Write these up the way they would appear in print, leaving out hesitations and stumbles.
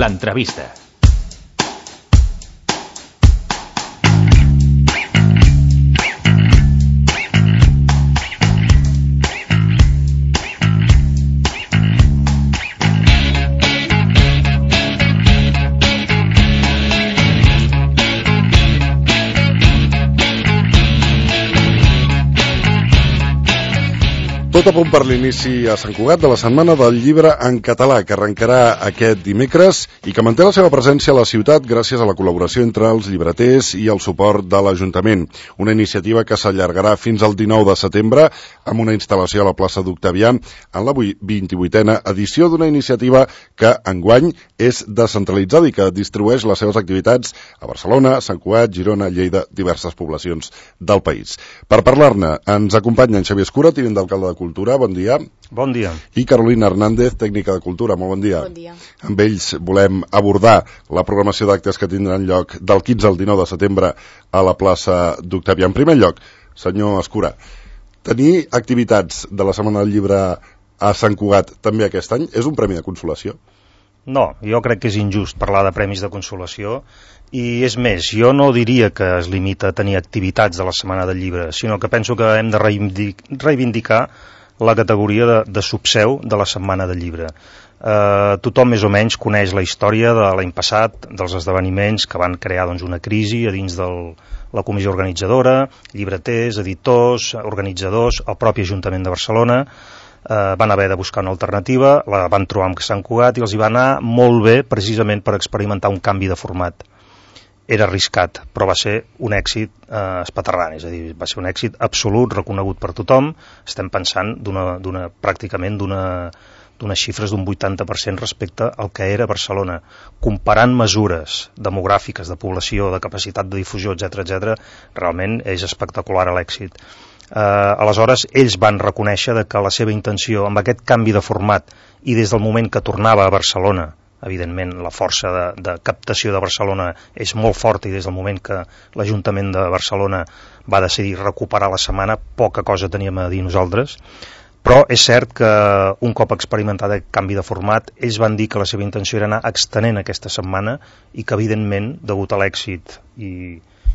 l'entrevista. Tot a punt per l'inici a Sant Cugat de la Setmana del Llibre en Català, que arrencarà aquest dimecres i que manté la seva presència a la ciutat gràcies a la col·laboració entre els llibreters i el suport de l'Ajuntament. Una iniciativa que s'allargarà fins al 19 de setembre amb una instal·lació a la plaça d'Octavià en la 28a edició d'una iniciativa que enguany és descentralitzada i que distribueix les seves activitats a Barcelona, Sant Cugat, Girona, Lleida, diverses poblacions del país. Per parlar-ne ens acompanya en Xavier Escura, tinent d'alcalde de Cultura, bon dia. Bon dia. I Carolina Hernández, tècnica de Cultura, molt bon dia. Bon dia. Amb ells volem abordar la programació d'actes que tindran lloc del 15 al 19 de setembre a la plaça d'Octavià. En primer lloc, senyor Escura, tenir activitats de la Setmana del Llibre a Sant Cugat també aquest any és un premi de consolació? No, jo crec que és injust parlar de premis de consolació i és més, jo no diria que es limita a tenir activitats de la Setmana del Llibre, sinó que penso que hem de reivindicar la categoria de subseu de la Setmana del Llibre. Tothom més o menys coneix la història de l'any passat, dels esdeveniments que van crear una crisi a dins de la comissió organitzadora, llibreters, editors, organitzadors, el propi Ajuntament de Barcelona. Van haver de buscar una alternativa, la van trobar amb Sant Cugat i els hi va anar molt bé precisament per experimentar un canvi de format. Era arriscat, però va ser un èxit espaterrant, és a dir, va ser un èxit absolut, reconegut per tothom. Estem pensant pràcticament d'unes xifres d'un 80% respecte al que era Barcelona. Comparant mesures demogràfiques, de població, de capacitat de difusió, etc., realment és espectacular l'èxit. Aleshores, ells van reconèixer que la seva intenció amb aquest canvi de format i des del moment que tornava a Barcelona, evidentment la força de captació de Barcelona és molt forta i des del moment que l'Ajuntament de Barcelona va decidir recuperar la setmana, poca cosa teníem a dir nosaltres, però és cert que un cop experimentat aquest canvi de format, ells van dir que la seva intenció era anar extenent aquesta setmana i que evidentment, degut a l'èxit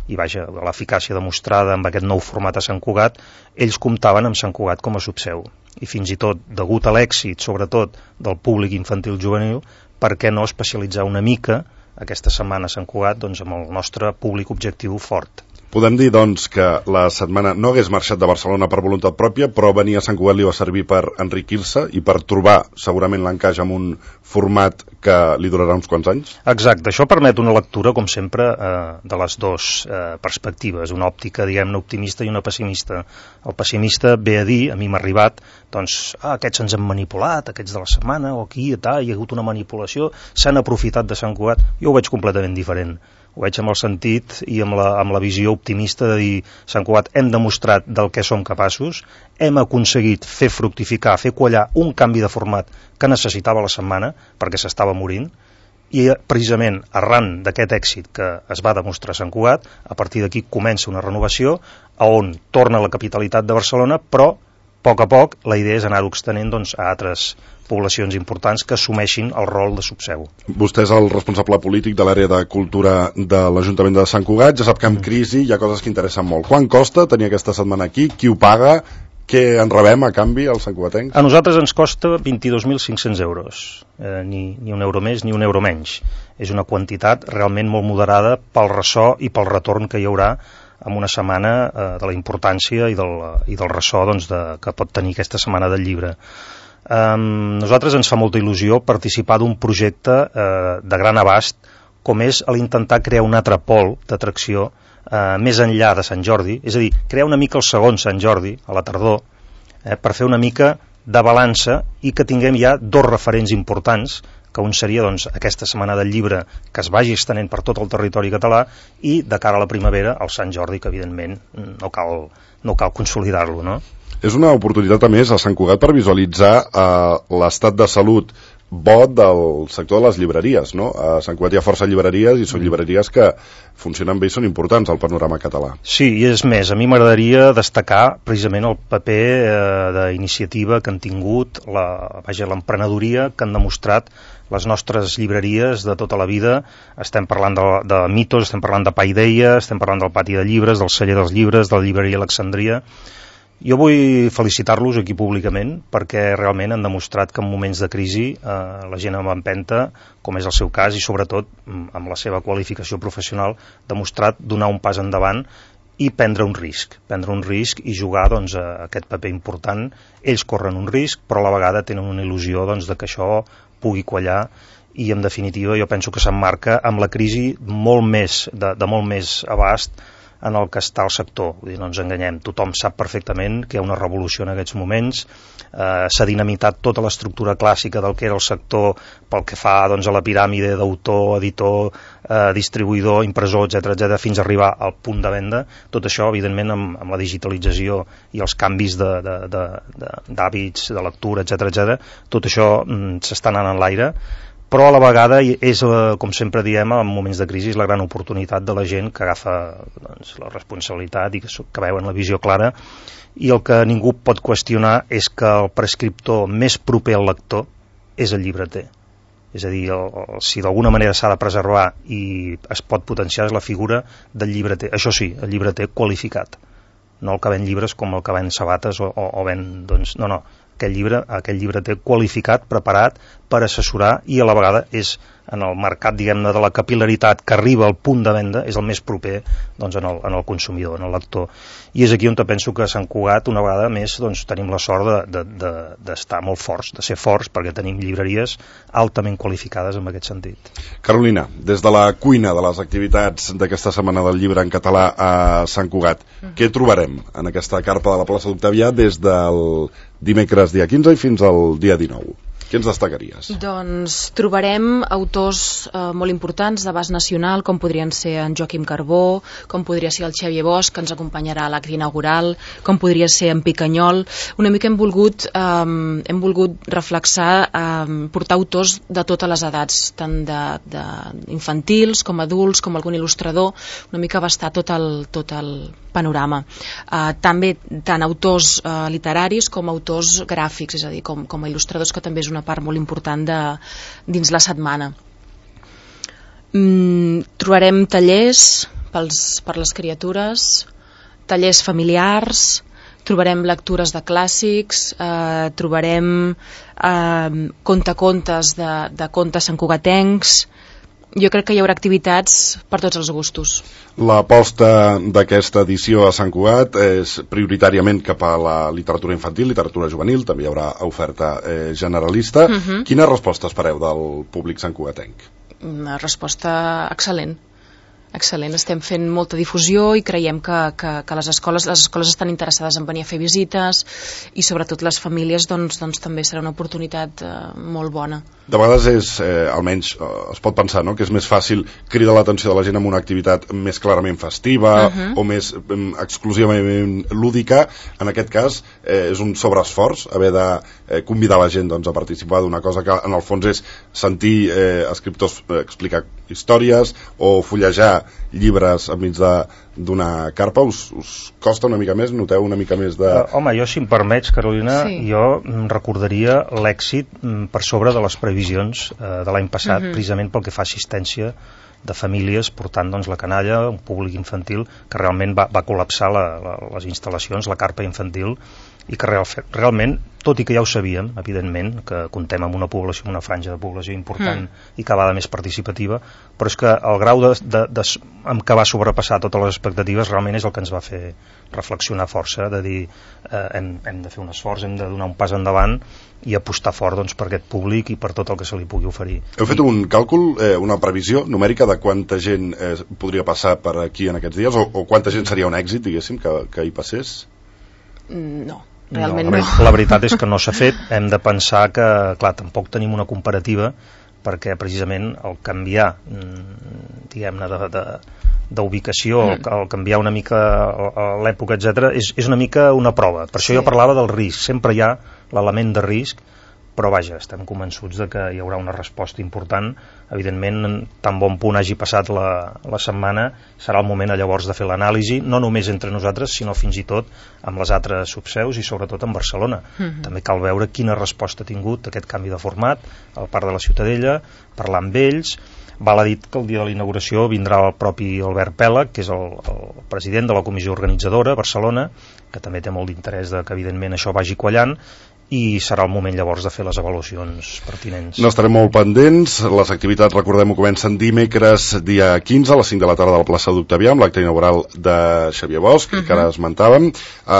i vaja, l'eficàcia demostrada amb aquest nou format a Sant Cugat, ells comptaven amb Sant Cugat com a subseu. I fins i tot, degut a l'èxit, sobretot, del públic infantil juvenil, per què no especialitzar una mica aquesta setmana a Sant Cugat amb el nostre públic objectiu fort? Podem dir, doncs, que la setmana no hagués marxat de Barcelona per voluntat pròpia, però venir a Sant Cugat li va servir per enriquir-se i per trobar segurament l'encaix amb un format que li durarà uns quants anys? Exacte, això permet una lectura, com sempre, de les dues perspectives, una òptica, diguem-ne, optimista i una pessimista. El pessimista ve a dir, a mi m'ha arribat, aquests ens han manipulat, aquests de la setmana, o aquí, hi ha hagut una manipulació, s'han aprofitat de Sant Cugat. Jo ho veig completament diferent. Ho veig amb el sentit i amb la visió optimista de dir, Sant Cugat, hem demostrat del que som capaços, hem aconseguit fer fructificar, fer quallar un canvi de format que necessitava la setmana perquè s'estava morint, i precisament arran d'aquest èxit que es va demostrar a Sant Cugat, a partir d'aquí comença una renovació a on torna la capitalitat de Barcelona, però a poc la idea és anar-ho extenent a altres poblacions importants que assumeixin el rol de subseu. Vostè és el responsable polític de l'àrea de cultura de l'Ajuntament de Sant Cugat, ja sap que amb crisi hi ha coses que interessen molt. Quant costa tenir aquesta setmana aquí? Qui ho paga? Què en rebem a canvi als santcugatencs? A nosaltres ens costa 22.500 euros, ni un euro més ni un euro menys. És una quantitat realment molt moderada pel ressò i pel retorn que hi haurà amb una setmana de la importància i del ressò que pot tenir aquesta Setmana del Llibre. Nosaltres ens fa molta il·lusió participar d'un projecte de gran abast com és l'intentar crear un altre pol d'atracció més enllà de Sant Jordi, és a dir, crear una mica el segon Sant Jordi, a la tardor, per fer una mica de balança i que tinguem ja dos referents importants, que un seria aquesta Setmana del Llibre que es vagi estenent per tot el territori català i de cara a la primavera el Sant Jordi, que evidentment no cal consolidar-lo, no? És una oportunitat a més a Sant Cugat per visualitzar l'estat de salut bo del sector de les llibreries, no? A Sant Cugat hi ha força llibreries i són llibreries que funcionen bé i són importants al panorama català. Sí, i és més, a mi m'agradaria destacar precisament el paper d'iniciativa que han tingut, l'emprenedoria que han demostrat les nostres llibreries de tota la vida. Estem parlant de Mitos, estem parlant de Paideia, estem parlant del Pati de Llibres, del Celler dels Llibres, de la llibreria Alexandria. Jo vull felicitar-los aquí públicament perquè realment han demostrat que en moments de crisi la gent amb empenta, com és el seu cas, i sobretot amb la seva qualificació professional, demostrat donar un pas endavant i prendre un risc i jugar doncs, a aquest paper important. Ells corren un risc, però a la vegada tenen una il·lusió doncs, de que això pugui quallar, i en definitiva jo penso que s'emmarca amb la crisi molt més de molt més abast en el que està el sector. Vull dir, no ens enganyem, tothom sap perfectament que hi ha una revolució en aquests moments, s'ha dinamitat tota l'estructura clàssica del que era el sector pel que fa doncs, a la piràmide d'autor, editor, distribuïdor, impressor, etc., fins a arribar al punt de venda. Tot això, evidentment, amb la digitalització i els canvis d'hàbits, de lectura, etc., tot això s'està anant en l'aire, però a la vegada és, com sempre diem, en moments de crisi, la gran oportunitat de la gent que agafa doncs, la responsabilitat i que veuen la visió clara, i el que ningú pot qüestionar és que el prescriptor més proper al lector és el llibreter. És a dir, si d'alguna manera s'ha de preservar i es pot potenciar és la figura del llibreter. Això sí, el llibreter qualificat, no el que ven llibres com el que ven sabates o ven... Doncs, no, aquell llibreter qualificat, preparat per assessorar, i a la vegada és en el mercat, diguem-ne, de la capil·laritat que arriba al punt de venda, és el més proper doncs, en el consumidor, en el lector. I és aquí on penso que a Sant Cugat, una vegada més, doncs, tenim la sort d'estar molt forts, de ser forts, perquè tenim llibreries altament qualificades en aquest sentit. Carolina, des de la cuina de les activitats d'aquesta Setmana del Llibre en català a Sant Cugat, què trobarem en aquesta carpa de la plaça d'Octavià des del dimecres dia 15 i fins al dia 19? Què ens destacaries? Doncs trobarem autors molt importants d'abast nacional, com podrien ser en Joaquim Carbó, com podria ser el Xavier Bosch, que ens acompanyarà a l'acte inaugural, com podria ser en Picanyol. Una mica hem volgut reflexar, portar autors de totes les edats, tant d'infantils com adults, com algun il·lustrador, una mica abastar tot el panorama. També tant autors literaris com autors gràfics, és a dir, com a il·lustradors, que també és una part molt important dins la setmana. Trobarem tallers per les criatures, tallers familiars, trobarem lectures de clàssics, trobarem contacontes de contes santcugatencs. Jo crec que hi haurà activitats per tots els gustos. L'aposta d'aquesta edició a Sant Cugat és prioritàriament cap a la literatura infantil, literatura juvenil, també hi haurà oferta generalista. Quina resposta espereu del públic santcugatenc? Una resposta excel·lent. Excel·lent, estem fent molta difusió i creiem que les escoles estan interessades en venir a fer visites, i sobretot les famílies doncs també serà una oportunitat molt bona. De vegades almenys es pot pensar, no?, que és més fàcil cridar l'atenció de la gent amb una activitat més clarament festiva o més exclusivament lúdica. En aquest cas és un sobreesforç haver de convidar la gent doncs, a participar d'una cosa que en el fons és sentir escriptors explicar històries o fullejar llibres enmig d'una carpa. Us costa una mica més? Noteu una mica més de... Home, jo, si em permets, Carolina, jo recordaria l'èxit per sobre de les previsions de l'any passat, precisament pel que fa a assistència de famílies portant doncs, la canalla, un públic infantil que realment va col·lapsar les instal·lacions, la carpa infantil, i que realment, tot i que ja ho sabíem, evidentment, que comptem amb una població, una franja de població important i cada vegada més participativa, però és que el grau amb què va sobrepassar totes les expectatives realment és el que ens va fer reflexionar força, de dir hem de fer un esforç, hem de donar un pas endavant i apostar fort doncs, per aquest públic i per tot el que se li pugui oferir. Heu fet un càlcul, una previsió numèrica de quanta gent podria passar per aquí en aquests dies, o quanta gent seria un èxit, diguéssim, que hi passés? No. Realment no. La veritat és que no s'ha fet. Hem de pensar que, clar, tampoc tenim una comparativa, perquè precisament el canviar, diguem-ne, d'ubicació, el canviar una mica l'època, etc., és una mica una prova. Per això jo parlava del risc. Sempre hi ha l'element de risc, però vaja, estem convençuts de que hi haurà una resposta important. Evidentment, tan bon punt hagi passat la setmana, serà el moment llavors de fer l'anàlisi, no només entre nosaltres, sinó fins i tot amb les altres subseus i sobretot amb Barcelona. També cal veure quina resposta ha tingut aquest canvi de format al Parc de la Ciutadella, parlar amb ells. Val a dir que el dia de la inauguració vindrà el propi Albert Pèlag, que és el president de la comissió organitzadora a Barcelona, que també té molt d'interès que evidentment això vagi quallant, i serà el moment llavors de fer les avaluacions pertinents. N'estarem molt pendents. Les activitats, recordem-ho, comencen dimecres dia 15 a les 5 de la tarda a la plaça d'Octavià amb l'acte inaugural de Xavier Bosch, que ara esmentàvem.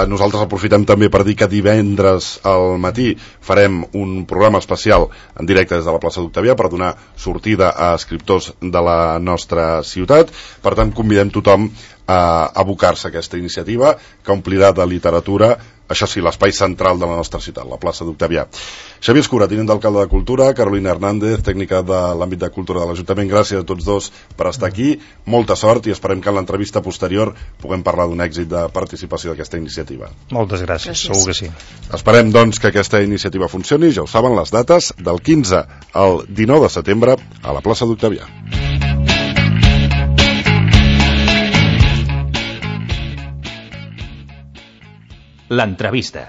Nosaltres aprofitem també per dir que divendres al matí farem un programa especial en directe des de la plaça d'Octavià per donar sortida a escriptors de la nostra ciutat. Per tant, convidem tothom a abocar-se a aquesta iniciativa que omplirà de literatura, això sí, l'espai central de la nostra ciutat, la plaça d'Octavià. Xavier Escura, tinent d'alcalde de Cultura, Carolina Hernández, tècnica de l'àmbit de Cultura de l'Ajuntament, gràcies a tots dos per estar aquí, molta sort i esperem que en l'entrevista posterior puguem parlar d'un èxit de participació d'aquesta iniciativa. Moltes gràcies, segur que sí. Esperem, doncs, que aquesta iniciativa funcioni, ja ho saben, les dates del 15 al 19 de setembre a la plaça d'Octavià. L'entrevista.